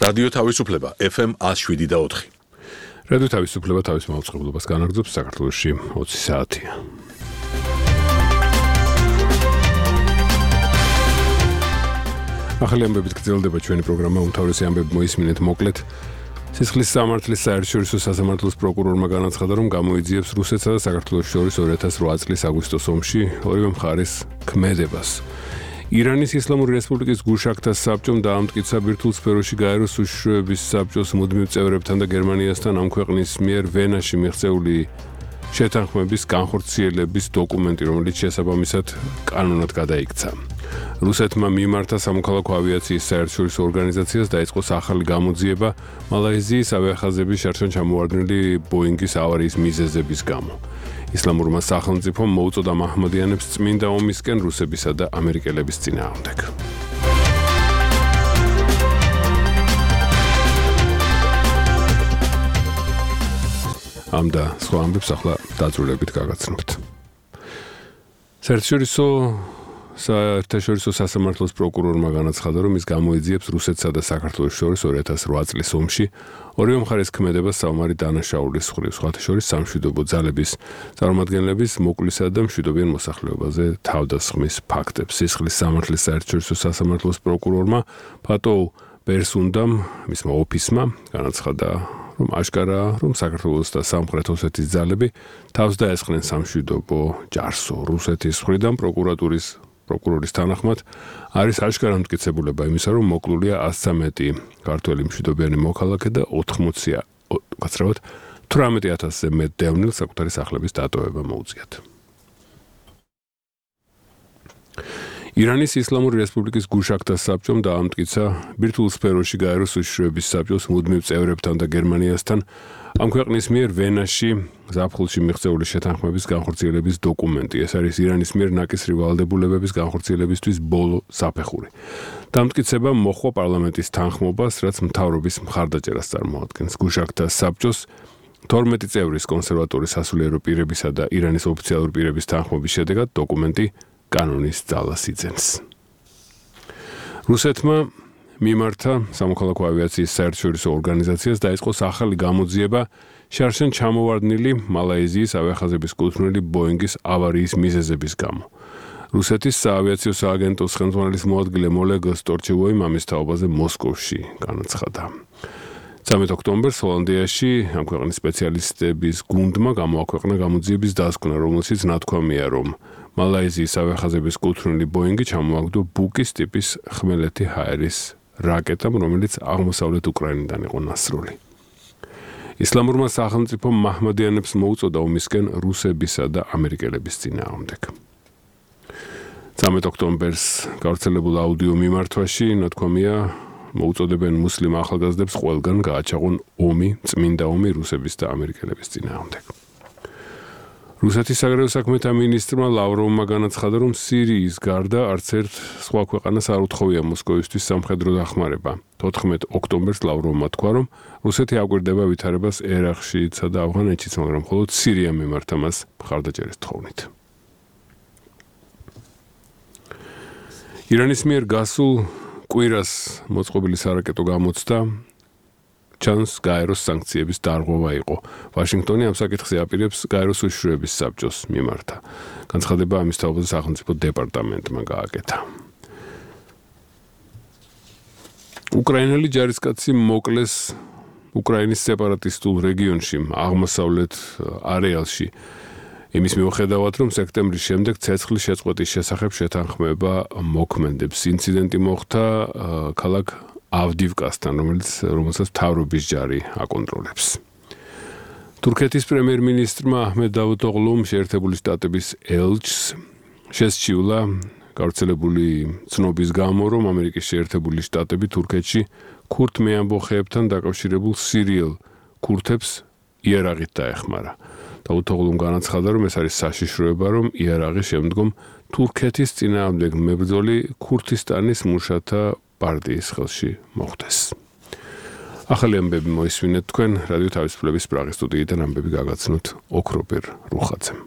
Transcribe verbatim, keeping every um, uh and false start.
რადიო თავისუფლება F M one oh seven და four. რადიო თავისუფლება თავის მაუწყებლობას განაგრძობს საქართველოში ოცი საათია. ახალი ამბებით გრძელდება ჩვენი პროგრამა უმთავრესი ამბები მოისმინეთ მოკლედ. სისხლის სამართლის საერთაშორისო სასამართლოს პროკურორმა განაცხადა, რომ გამოიძიებს რუსეთსა და საქართველოს შორის two thousand eight წლის აგვისტოს ომში ორივე მხარეს ქმედებას. ირანის ისლამური რესპუბლიკის გუშაქთა საბჭომ დაამტკიცა ბირთვულ სფეროში გაეროს უშიშროების საბჭოს მუდმივ წევრებთან და გერმანიასთან ამ ქვეყნის მიერ ვენაში მიღწეული შეთანხმების განხორციელების დოკუმენტი, რომელიც შესაბამისად კანონად გადაიქცა. რუსეთმა მიმართა სამოქალაქო ავიაციის საერთაშორისო ორგანიზაციას დაიწყოს ახალი გამოძიება მალაიზიის ავიახაზების შარშან ჩამოვარდნილი ბოინგის ავარიის მიზეზების გამო. ისლამურმა სახელმწიფომ მოუწოდა მაჰმადიანებს წმინდა ომისკენ რუსებისა და ამერიკელების წინააღმდეგ. ამ და სხვა ამბებს ახლა დაწვრილებით გაგაცნობთ. საერთაშორისო საერთაშორისო სასამართლოს პროკურორმა განაცხადა, რომ ის გამოიძიებს რუსეთსა და საქართველოს შორის two thousand eight წლის ომში ორივე მხარეს ქმედებას საომარი დანაშაულის მხრივ, სხვათა შორის სამშვიდობო ძალების წარმომადგენლების მოკლისა და მშვიდობიან მოსახლეობაზე თავდასხმის ფაქტებს. სისხლის სამართლის საერთაშორისო სასამართლოს პროკურორმა ფატო ბერსუნდამ, მისმა ოფისმა განაცხადა, რომ აშკარაა, რომ საქართველოს და სამხრეთ ოსეთის ძალები თავს დაესხნენ სამშვიდობო ჯარსო. რუსეთის მხრიდან პროკურატურის პროკურორის თანახმად არის აშკარა მტკიცებულება იმისა, რომ მოკლულია one hundred thirteen ქართველი მშვიდობიანი მოქალაქე და ოთხმოცი გაცრავად eighteen thousand-ზე მეტ დევნილს საკუთარი სახლების დატოვება მოუწიათ. ირანის ისლამური რესპუბლიკის გუშაქთა საბჭომ დაამტკიცა ბირთვულ სფეროში გაეროს უშიშროების საბჭოს მუდმივ წევრებთან და გერმანიასთან ამ ქვეყნის მიერ ვენაში ზაფხულში მიღწეული შეთანხმების განხორციელების დოკუმენტი. ეს არის ირანის მიერ ნაკისრი ვალდებულებების განხორციელებისთვის ბოლო საფეხური. დამტკიცება მოჰყვა პარლამენტის თანხმობას, რაც მთავრობის მხარდაჭერას წარმოადგენს. გუშაქთა საბჭოს twelve წევრის კონსერვატორი სასულიერო პირებისა და ირანის ოფიციალური პირების თანხმობის შედეგად დოკუმენტი კანონის ძალას იძენს. რუსეთმა მიმართა სამოქალაქო ავიაციის საერთაშორისო ორგანიზაციას დაიწყოს ახალი გამოძიება შარშან ჩამოვარდნილი მალაიზიის ავიახაზების კუთვნილი ბოინგის ავარიის მიზეზების გამო. რუსეთის საავიაციო სააგენტოს ხელმძღვანელის მოადგილე მოლეგ სტორჩევოიმ ამის თაობაზე მოსკოვში განაცხადა. thirteen ოქტომბერს ჰოლანდიაში ამ ქვეყნის სპეციალისტების გუნდმა გამოაქვეყნა გამოძიების დასკვნა, რომელშიც ნათქვამია, რომ მალაიზიის ავიახაზების კუთვნილი ბოინგი ჩამოაგდო ბუკის ტიპის ხმელეთი ჰაერის რაკეტამ, რომელიც აღმოსავლეთ უკრაინიდან იყო ნასროლი. ისლამურმა სახელმწიფომ მაჰმადიანებს მოუწოდა ომისკენ რუსებისა და ამერიკელების წინააღმდეგ. thirteen ოქტომბერს გავრცელებულ აუდიო მიმართვაში ნათქვამია, მოუწოდებენ მუსლიმ ახალგაზრდებს ყველგან გააჩაღონ ომი, წმინდა ომი რუსების და ამერიკელების წინააღმდეგ. რუსეთის საგარეო საქმეთა მინისტრმა ლავროვმა განაცხადა, რომ სირიის გარდა არც ერთ სხვა ქვეყანას არ უთხოვია მოსკოვისთვის სამხედრო დახმარება. fourteen ოქტომბერს ლავროვმა თქვა, რომ რუსეთი აკვირდება ვითარებას ერაყშიც და ავღანეთშიც, მაგრამ მხოლოდ სირიამ მიმართა მას მხარდაჭერის თხოვნით. ირანის მიერ გასულ კვირას მოწყობილი სარაკეტო გამოცდა ჩანს გაეროს სანქციების დარღვევა იყო. ვაშინგტონი ამ საკითხზე აპირებს გაეროს უშიშროების საბჭოს მიმართა. განცხადება ამის თაობაზე სახელმწიფო დეპარტამენტმა გააკეთა. უკრაინელი ჯარისკაცი მოკლეს უკრაინის სეპარატისტულ რეგიონში, აღმოსავლეთ არეალში. იმის მიუხედავად, რომ სექტემბრის შემდეგ ცეცხლის შეწყვეტის შესახებ შეთანხმება მოქმედებს. ინციდენტი მოხდა ქალაქ ავდივკასთან, რომელიც რომელსაც მთავრობის ჯარი აკონტროლებს. თურქეთის პრემიერ-მინისტრმა აჰმედ დავუთოღლუმ შეერთებული შტატების ელჩს შესჩიულა გავრცელებული ცნობის გამო, რომ ამერიკის შეერთებული შტატები თურქეთში ქურთ მეამბოხეებთან დაკავშირებულ სირიელ ქურთებს იარაღით დაეხმარა. დავუთოღლუმ განაცხადა, რომ ეს არის საშიშროება, რომ იარაღი შემდგომ თურქეთის წინააღმდეგ მებრძოლი ქურთისტანის მუშათა პარტიის ხელში მოხდეს. ახალი ამბები მოისმინეთ თქვენ რადიო თავისუფლების პრაღის სტუდიიდან ამბები გაგაცნოთ ოქროპირ რუხაძემ.